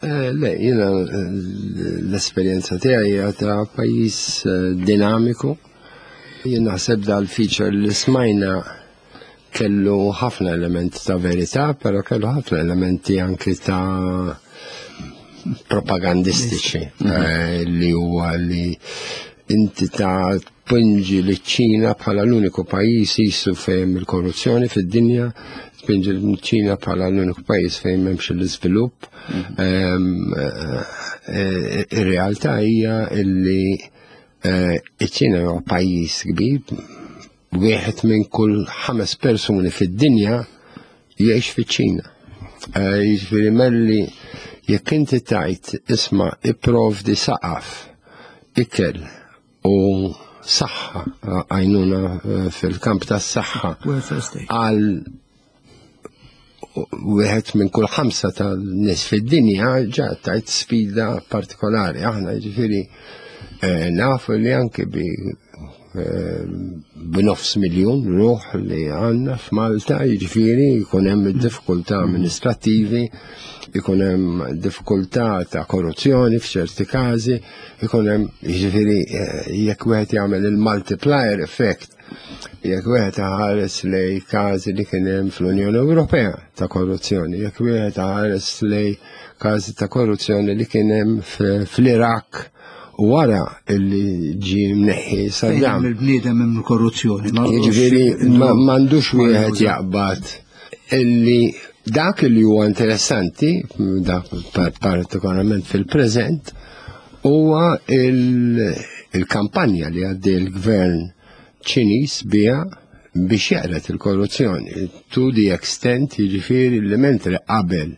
Le, jiena l-esperjenza tiegħi hija ta' pajjiż dinamiku. Jien naħseb dal-feature li smajna kellu ħafna elementi ta' verità, però kellu ħafna elementi anki ta' propagandistiċi, li huwa li inti ta' tpinġi liċ-Ċina bħala l-uniku pajjiż jisu fejn il-korruzzjoni fid-dinja, tpinġi liċ-Ċina bħala l-uniku pajjiż fejn m'hemmx l-iżvilupp. Ir-realtà hija li iċ-Ċina huwa pajjiż kbir, wieħed minn kull ħames persuni fid-dinja jgħix fiċ-Ċina. Jiġifieri melli jekk inti tajt isma' ipprovdi saqaf, ikel u saħħa, għajnuna fil-kamp tas-saħħa għal wieħed minn kull ħamsa tan-nies fid-dinja, ġa tajt sfida partikolari. Aħna jiġifieri nafu li anke bi b'nofs miljun ruħ li għandna f'Malta, jiġifieri jkun hemm diffikultà amministrattivi, jkun hemm diffikultà ta' korruzzjoni f'ċerti każi, jkun hemm jiġifieri jekk wieħed jagħmel il-multiplier effect, jekk wieħed iħares lej każi li kien hemm fl-Unjoni Ewropea ta' korruzzjoni, jekk wieħed iħares lej każi ta' korruzzjoni li kien hemm fl-Iraq wara illi ġie mneħħi Saddam. Il-bniedem hemm korruzzjoni. Jiġifieri m'għandux wieħed jaqbad illi dak li huwa interessanti, dak partikolarment fil-preżent, huwa il-kampanja li għaddej il-gvern Ċiniż biha biex jeqred il-korruzzjoni. To the extent, jiġifieri li mentre qabel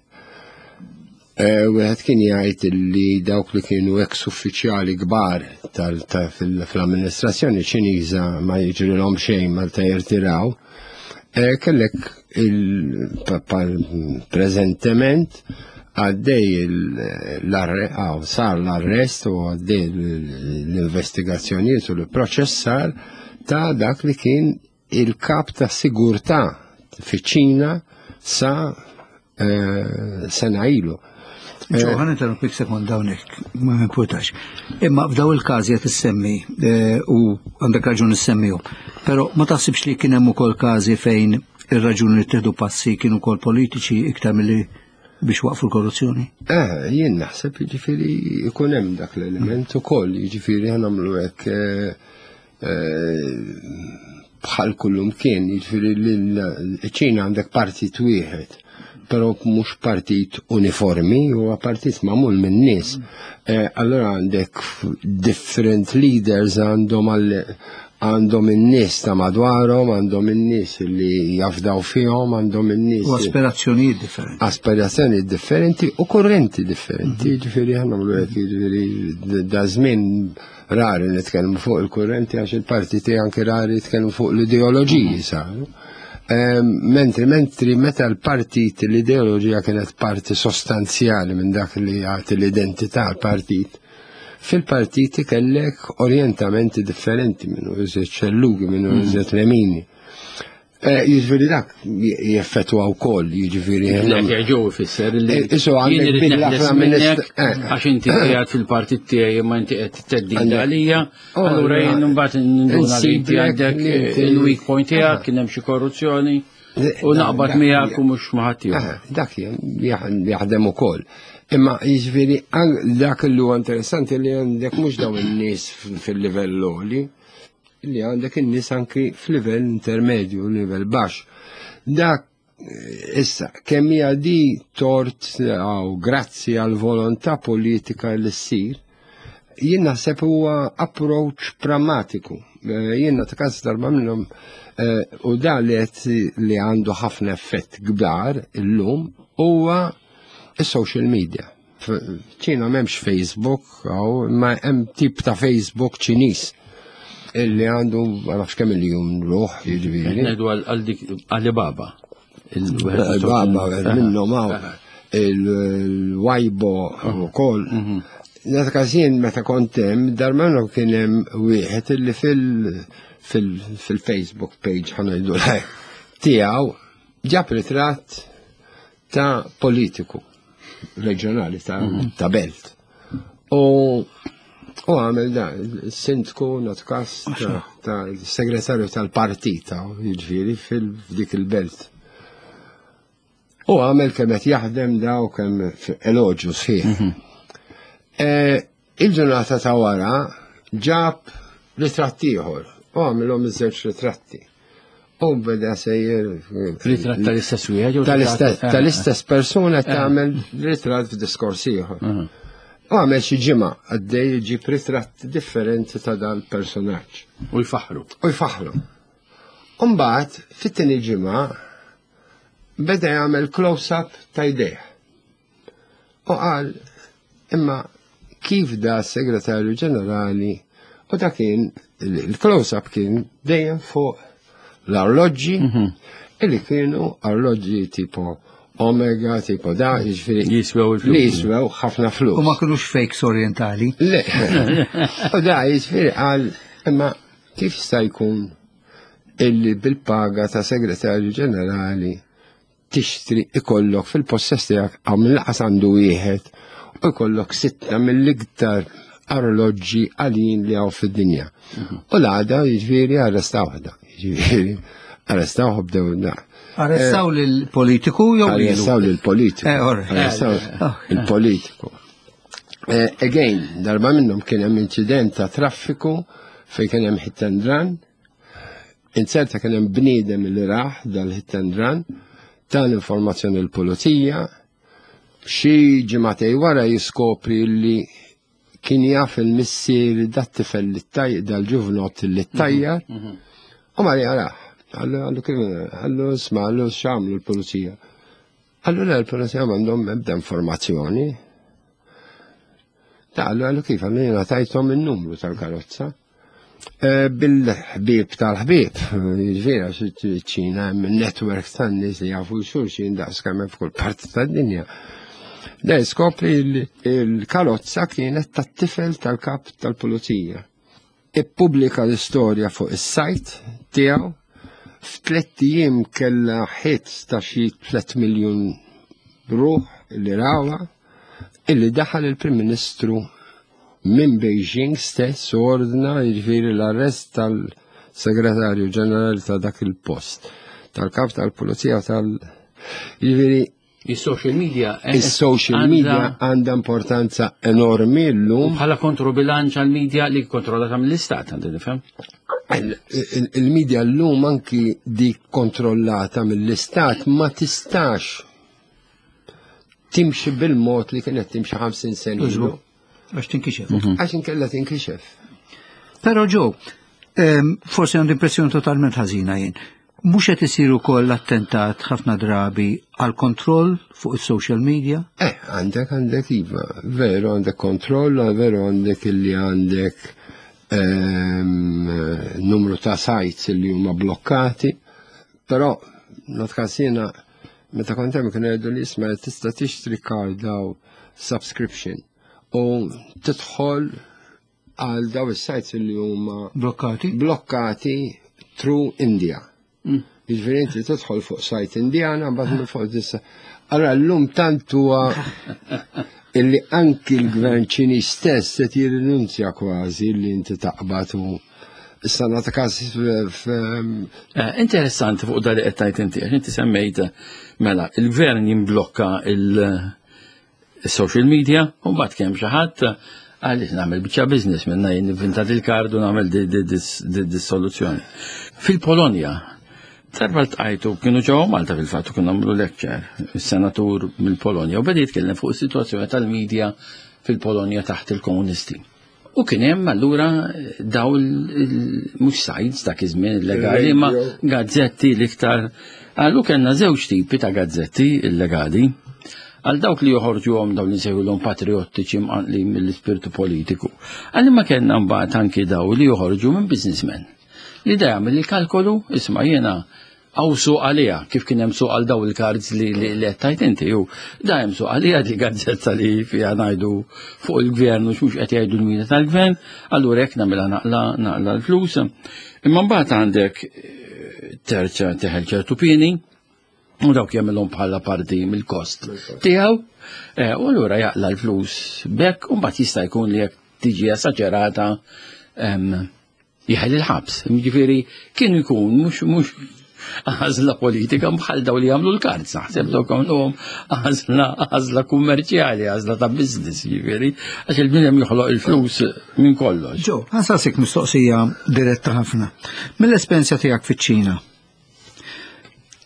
wieħed kien jgħid li dawk li kienu ex uffiċjali kbar fl-amministrazzjoni Ċiniża ma jiġrilhom xejn malta jirtiraw, kellek preżentement għaddej sar l-arrest u għaddej l-investigazzjonijiet u l-proċessar ta' dak li kien il-kap ta' sigurtà fiċ-Ċina sa sena ilu. Ġo, ħa ninterrompik sekond hawnhekk, ma nkwetax. Imma f'daw il-każi qed issemmi u għandek raġun issemmihom. Però ma taħsibx li kien hemm ukoll każi fejn ir-raġuni li ttieħdu passi kienu wkoll politiċi iktar milli biex waqfu l-korruzzjoni? Eh, jien naħseb jiġifieri jkun hemm dak l-element ukoll, jiġifieri ħa nagħmlu hekk bħal kullum kien, jiġifieri l-Ċina għandek partit wieħed, però mhux partit uniformi, huwa partit magħmul minn nies. Allora għandek different leaders, għandhom għandhom in-nies ta' madwarhom, għandhom in-nies li jafdaw fihom, għandhom in-nies. U aspirazzjonijiet differenti. Aspirazzjonijiet differenti u kurrenti differenti. Jiġifieri ħa nagħmlu hekk, jiġifieri da żmien rari nitkellmu fuq il-kurrenti għax il-partiti anke rari jitkellmu fuq l-ideoloġiji saru. Mentri, mentri meta l-partit, l-ideoloġija kienet parti sostanzjali minn dak li jagħti l-identità għall-partit, fil-partiti kellek orientamenti differenti minnu iżjed xellugi, minnu iżjed lemini. Jiġifieri dak jeffettwa wkoll, jiġifieri. Ġew ifisser li jien irid neħles minnek għax inti qiegħed fil-partit tiegħi imma inti qed theddid għalija, allura jien imbagħad ninduna li inti għandek il-weak point tiegħek, kien hemm xi korruzzjoni u naqbad miegħek u mhux ma ħadd ieħor. Dak jaħdem ukoll. Imma jiġifieri dak li huwa interessanti li għandek mhux dawn in-nies fil-livell għoli, li għandek in-nies anki f'livell intermedju, livell baxx. Dak issa kemm hija di tort jew grazzi għal volontà politika li ssir, jien naħseb huwa approach pragmatiku. Jien ta' każ darba minnhom u da li li għandu ħafna effett kbar illum huwa is-social media. Ċina m'hemmx Facebook, ma hemm tip ta' Facebook Ċiniż illi għandu ma nafx kemm iljun ruħ, jiġifieri. Ngħidu għal dik Alibaba. Alibaba minnhom hawn il-Weibo ukoll. Nata każin meta kont hemm, darba minnhom kien hemm wieħed illi fil-Facebook page ħa ngħidu tiegħu ġab ritratt ta' politiku. reġjonali ta', ta' belt. U u għamel da, sindku natkas ta', ta segretarju tal-partita, jiġifieri fil-dik il-belt. U għamel kemm qed jaħdem da u kemm eloġju sħiħ. Eh, Il-ġurnata ta' wara ġab ritratt ieħor u għamilhom iż-żewġ ritratti. U beda sejjer Ritratt tal-istess wieħed jew tal-istess ritratt- tal-istess persuna tagħmel ritratt f'diskors ieħor. U għamel xi ġimgħa għaddej jġib ritratt differenti ta' dal-personaġġ. U jfaħru. U jfaħru. Umbagħad fit-tieni ġimgħa beda jagħmel close-up ta' jdejh. U qal imma kif da segretarju ġenerali u da kien il-close-up kien dejjem fuq l-arloġġi illi kienu arloġġi tipo Omega, tipo da, jiġifieri Jiswew il-flus. li jiswew ħafna flus. U ma kinux fakes orientali. Le. U da jiġifieri qal imma kif jista' jkun illi bil-paga ta' segretarju ġenerali tixtri ikollok fil-possess tiegħek għaw mill-qas għandu wieħed u jkollok sitta mill-iktar arloġġi għalin li hawn fid-dinja. U l-għada jiġifieri arrestaw da. Jiġifieri arrestaw bdew da. Arrestaw lill-politiku jew lilu? Arrestaw lill-politiku. Eh, all right. Arrestaw Oh. il-politiku. Eh, Again, darba minnhom kien hemm inċident ta' traffiku fejn kien hemm hit and run. Inzerta kien hemm bniedem li raħ dal-hit and run, ta l-informazzjoni l-pulizija, xi ġimagħtej wara jiskopri li kien jaf il-missier dat-tifel li taj dal-ġuvnot li tajjar u mar jarah. Għallu, għallu kif, għallu isma', għallu x'għamlu l-pulizija. Għallu le l-pulizija m'għandhom ebda informazzjoni. Ta' għallu għallu kif, għallu jiena tajthom il-numru tal-karozza. Eh, Bil-ħbieb tal-ħbieb, jiġifieri għax ċina hemm network tan-nies li jafu xulxin daqs kemm hemm f'kull parti tad-dinja. Da skopri li l-karozza kienet tat-tifel tal-kap tal-pulizija. Ippubblika l-istorja fuq is-sajt tiegħu f'tliet ijiem kellha hits ta' xi tliet miljun ruħ li rawha illi daħal il-Prim Ministru minn Beijing stess u ordna jiġifieri l-arrest tal-Segretarju Ġenerali ta' dak il-post, tal-kap tal-Pulizija tal- jiġifieri Il-social media. eh, il-social għandha- media għandha importanza enormi llum. Bħala kontrobilanċ għal-media li kontrollata mill-istat, għandi nifhem. Il- il- Il-media llum anki dik kontrollata mill-istat ma tistax timxi bil-mod li kienet timxi ħamsin sena ilu. Għax tinkixef. Għax inkella tinkixef. Però Joe, ehm, forsi għandi impressjoni totalment ħażina jien. Mhux qed isir ukoll attentat ħafna drabi għal kontroll fuq is-social media? Eh, għandek, għandek, iva, veru għandek kontroll, veru għandek illi għandek ehm, numru ta' sites illi huma blokkati, però natkaż jiena meta kont hemm kienu jgħidu li isma' tista' tixtri card daw subscription u tidħol għal daw is-sites illi huma Blokkati? blokkati through India. Jiġifieri inti tidħol fuq site Indjana, mbagħad minn fuq tista'. Allora llum tant huwa illi anki l-gvern Ċiniż stess qed jirrinunzja kważi li inti taqbad u issa nagħti każ f- Eh, Interessanti fuq dali qed tajt inti, għax inti semmejt mela il-gvern jimblokka il-social media u mbagħad kemm xi ħadd għaliex nagħmel biċċa business minna jien inventat il-kard u nagħmel di- di- dis- di- dis-soluzzjoni. Fil-Polonja, darba ltqajtu kienu ġewwa Malta fil-fatt u kienu għamlu lecture, is-senatur mill-Polonja u beda jitkellem fuq is-sitwazzjoni tal-medja fil-Polonja taħt il-komunisti. U kien hemm allura daw il- mhux sites dak iż-żmien illegali, ma Radio. gazzetti l-iktar. Għallu kellna żewġ tipi ta' gazzetti illegali. Għal dawk li joħorġu għom dawn li nsejħulhom patriottiċi mqanqli mill-ispirtu politiku. Għal ma kellna mbagħad anki daw li joħorġu minn businessmen. Li da jagħmel il-kalkolu, isma' jiena għaw suq għalija, kif kien hemm suq għal daw il-cards li li li qed tajt inti, ju da hemm suq għalija di gazzetta li fiha ngħidu fuq il-gvern u x'mhux qed jgħidu l-mida tal-gvern, allura hekk nagħmilha naqla naqla l-flus. Imma mbagħad għandek eh, terċa teħel ċertu pieni, U dawk jagħmilhom bħala parti mill-kost tiegħu. Eh, u allura jaqla l-flus bekk u mbagħad jista' jkun li jekk tiġi esaġerata jeħel il-ħabs. Jiġifieri kien ikun mhux mhux għażla politika bħal daw li jagħmlu l-kards, naħseb dawk għamluhom għażla għażla kummerċjali, għażla ta' business, jiġifieri, għax il-bniedem joħloq il-flus minn kollox. Ġo, ħa nsaqsik mistoqsija diretta ħafna. Mill-esperjenza tiegħek fiċ-Ċina,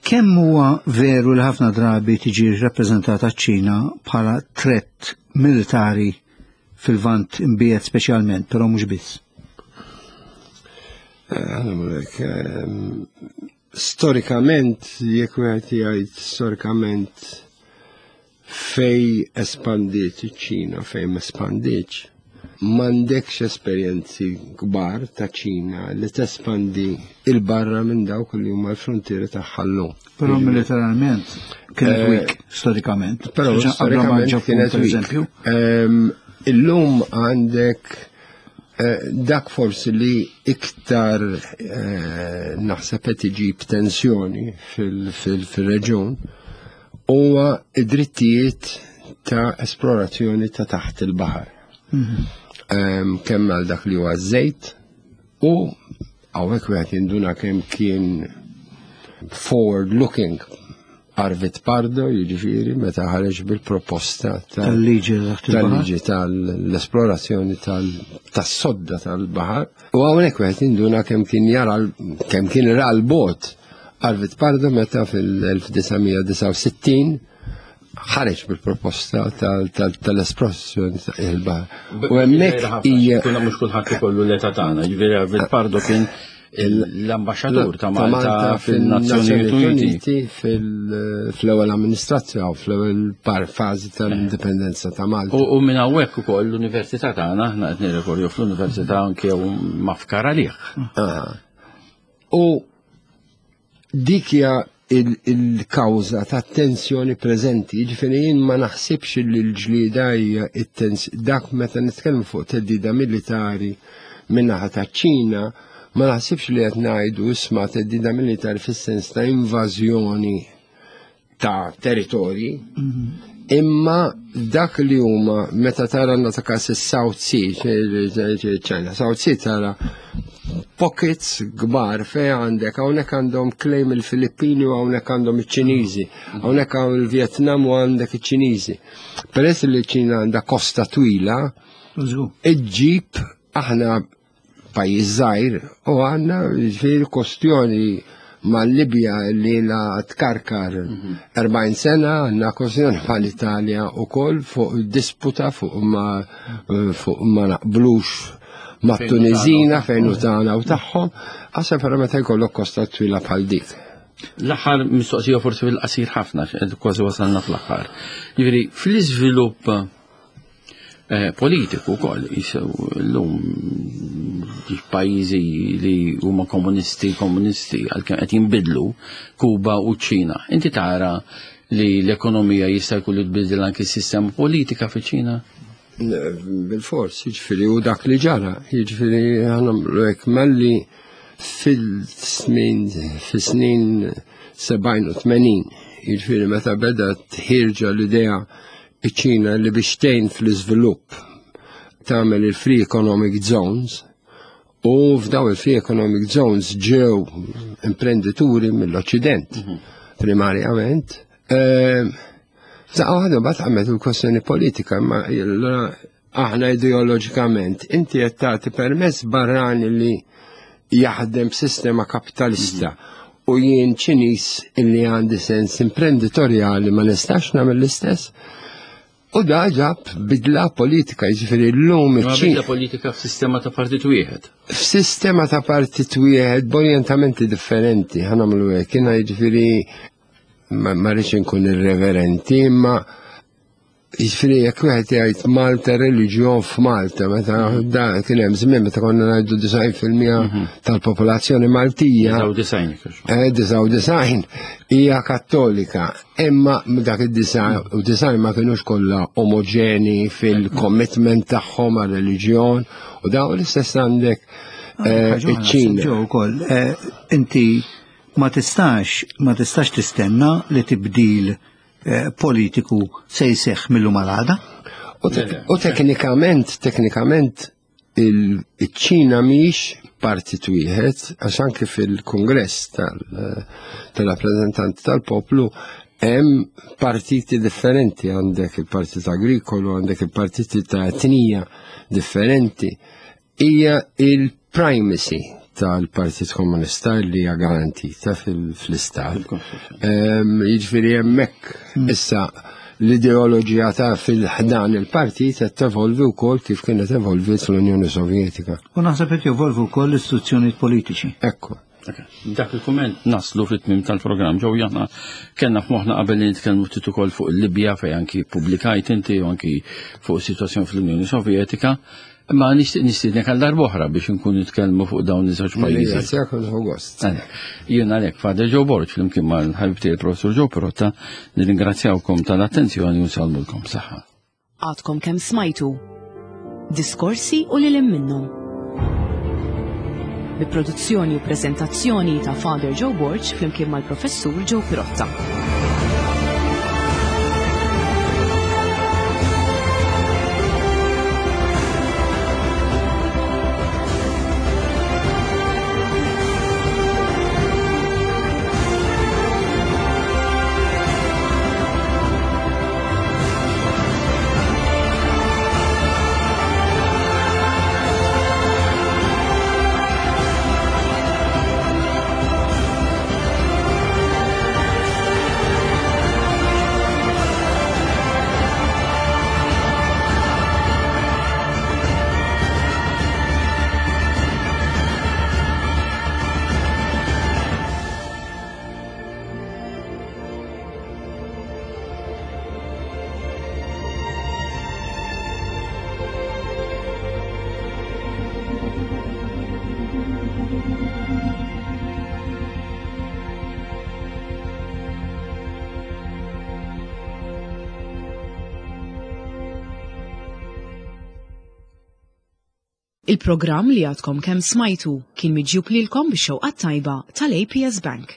kemm huwa veru li ħafna drabi tiġi rappreżentata ċ-Ċina bħala threat militari fil-Lvant Imbiegħed speċjalment, però mhux biss? Eh, storikament, jekk wieħed jgħid storikament fej espandiet iċ-Ċina, fej ma espandietx, m'għandekx esperjenzi kbar ta' Ċina li tespandi il-barra minn dawk li huma l-frontieri tagħha llum. Però militarment kienet eh, weak storikament. Però storikament kienet weak. Illum għandek eh, dak forsi li iktar eh, naħseb qed iġib tensjoni fil-reġjun huwa id-drittijiet ta' esplorazzjoni ta' taħt il-baħar. Mhm. Kemm għal dak li huwa żejt u hawnhekk wieħed jinduna kemm kien forward looking Arvid Pardo, jiġifieri, meta ħareġ bil-proposta tal-liġi tal-liġi tal-esplorazzjoni tas-sodda tal-baħar. U hawnhekk wieħed jinduna kemm kien jara kemm kien ra l-bot Arvid Pardo meta fil-elf disa' mija disgħa u sittin ħareġ bil-proposta tal-esplorazzjoni tal-baħar. U hemmhekk hija Kuna mhux kulħadd ikollu l-età tagħna, jiġifieri Arvid Pardo kien l-ambaxxatur ta' Malta fil-Nazzjonijiet Uniti fl-ewwel amministrazzjoni u fl-ewwel fażi tal-indipendenza ta' Malta. U minn hawnhekk ukoll l-università tagħna aħna qed nirrikorju fl-università anke mafkar għalih. U dik hija il-kawża ta' tensjoni preżenti, jiġifieri jien ma naħsibx li l-ġlieda hija dak meta nitkellmu fuq theddida militari min-naħa ta' Ċina, ma naħsibx li qed ngħidu isma' theddida militari fis-sens ta' invażjoni ta' territorji, imma dak li huma meta tara għandna ta' każ is-South Sea, China, South Sea tara pockets kbar fej għandek, hawnhekk għandhom claim il-Filippini u hawnhekk għandhom iċ-Ċiniżi, hawnhekk hawn il-Vjetnam u għandek iċ-Ċiniżi. Peress li ċ-Ċina għandha kosta twila, iġġib aħna pajjiż żgħir u għandna ġifieri kwestjoni mal-Libja li la tkarkar erbgħin sena, għandna kwestjoni mal-Italja wkoll fuq disputa fuq ma fuq ma naqblux ma' Tunizina fejn u tagħna u tagħhom, għasab però meta jkollok kosta twila bħal dik. L-aħħar mistoqsija forsi fil-qasir ħafna, kważi wasalna fl-aħħar. Jiġifieri fl-iżvilupp politiku wkoll jisew llum pajjiżi li huma komunisti, komunisti għalkemm qed jinbidlu Kuba u ċ-Ċina. Inti tara li l-ekonomija jista' jkun li tbiddel anke s-sistema politika fiċ-Ċina? Bil-fors, jiġifieri u dak li ġara, jiġifieri ħanamlu hekk malli fil-snin fis-snin sebgħin u tmenin, jiġifieri meta beda tħirġa l-idea iċ-Ċina li biex tgħin fl-iżvilupp tagħmel il-Free Economic Zones, u f'daw il-Free Economic Zones ġew imprendituri mill-Occident, primarjament. F'daqqa waħda mbagħad għamet il-kwestjoni politika, imma aħna ideoloġikament inti qed tagħti permess barrani li jaħdem b'sistema kapitalista u jien Ċiniż illi għandi sens imprenditorjali ma nistax nagħmel l-istess. U da ġab bidla politika, jiġifieri llum Ma iċ-Ċina bidla politika f'sistema ta' partit wieħed. F'sistema ta' partit wieħed b'orjentamenti differenti, ħa nagħmlu hekk, jiena jiġifieri ma, ma rridx inkun irreverenti, imma jiġifieri jekk wieħed jgħid Malta reliġjon f'Malta, meta da kien hemm żmien meta konna ngħidu disgħin fil-mija tal-popolazzjoni Maltija. Disgħa u disgħin, jekk jogħġbok. Eh, disgħa u disgħin hija kattolika, imma dak id-disgħa u disgħin ma kinux kollha omoġeni fil-commitment tagħhom għar-reliġjon u daw l-istess għandek, eh, Ħaġa oħra, iċ-Ċina. Ġew ukoll, eh, inti Ma tistax, ma tistax tistenna li tibdil eh, politiku se jseħħ mill-lum għal għada. U tek- U teknikament, teknikament il-ċina mhix partit wieħed, għax anke fil-kongress tal- tal-rappreżentanti tal-poplu hemm partiti differenti, għandek il-partit agrikolu, għandek il-partiti ta' etnija differenti. Hija il-primacy tal-Partit Komunista li hija garantita fil- fl-istat. Ehm, Jiġifieri hemmhekk issa l-ideoloġija ta' fil-ħdan il-partit qed tevolvi wkoll kif kienet evolviet fl-Unjoni Sovjetika. U naħseb qed jevolvu wkoll l-istituzzjonijiet politiċi. Ekku. Dak il-kumment naslu fit-tmim tal-programm ġew aħna kellna f'moħħna qabel li nitkellmu ftit ukoll fuq il-Libja fejn anki pubblikajt inti u anki fuq is-sitwazzjoni fl-Unjoni Sovjetika. Imma nixtieq nistiednek għal darb'oħra biex nkun nitkellmu fuq dawn iż-żewġ pajjiżi. Ringrazzjak u nieħu gost. Jien għalhekk Father Joe Borg flimkien mal-ħabib tiegħi il-Professur Joe Pirotta nirringrazzjawkom tal-attenzjoni u nsellmulkom saħħa. Għadkom kemm smajtu. Diskorsi u lil hinn minnhom. Bi produzzjoni u prezentazzjoni ta' Father Joe Borg flimkien mal-Professur Joe Pirotta. Il-programm li għadkom kemm smajtu kien miġjub lilkom bix-xewqa tajba tal-A P S Bank.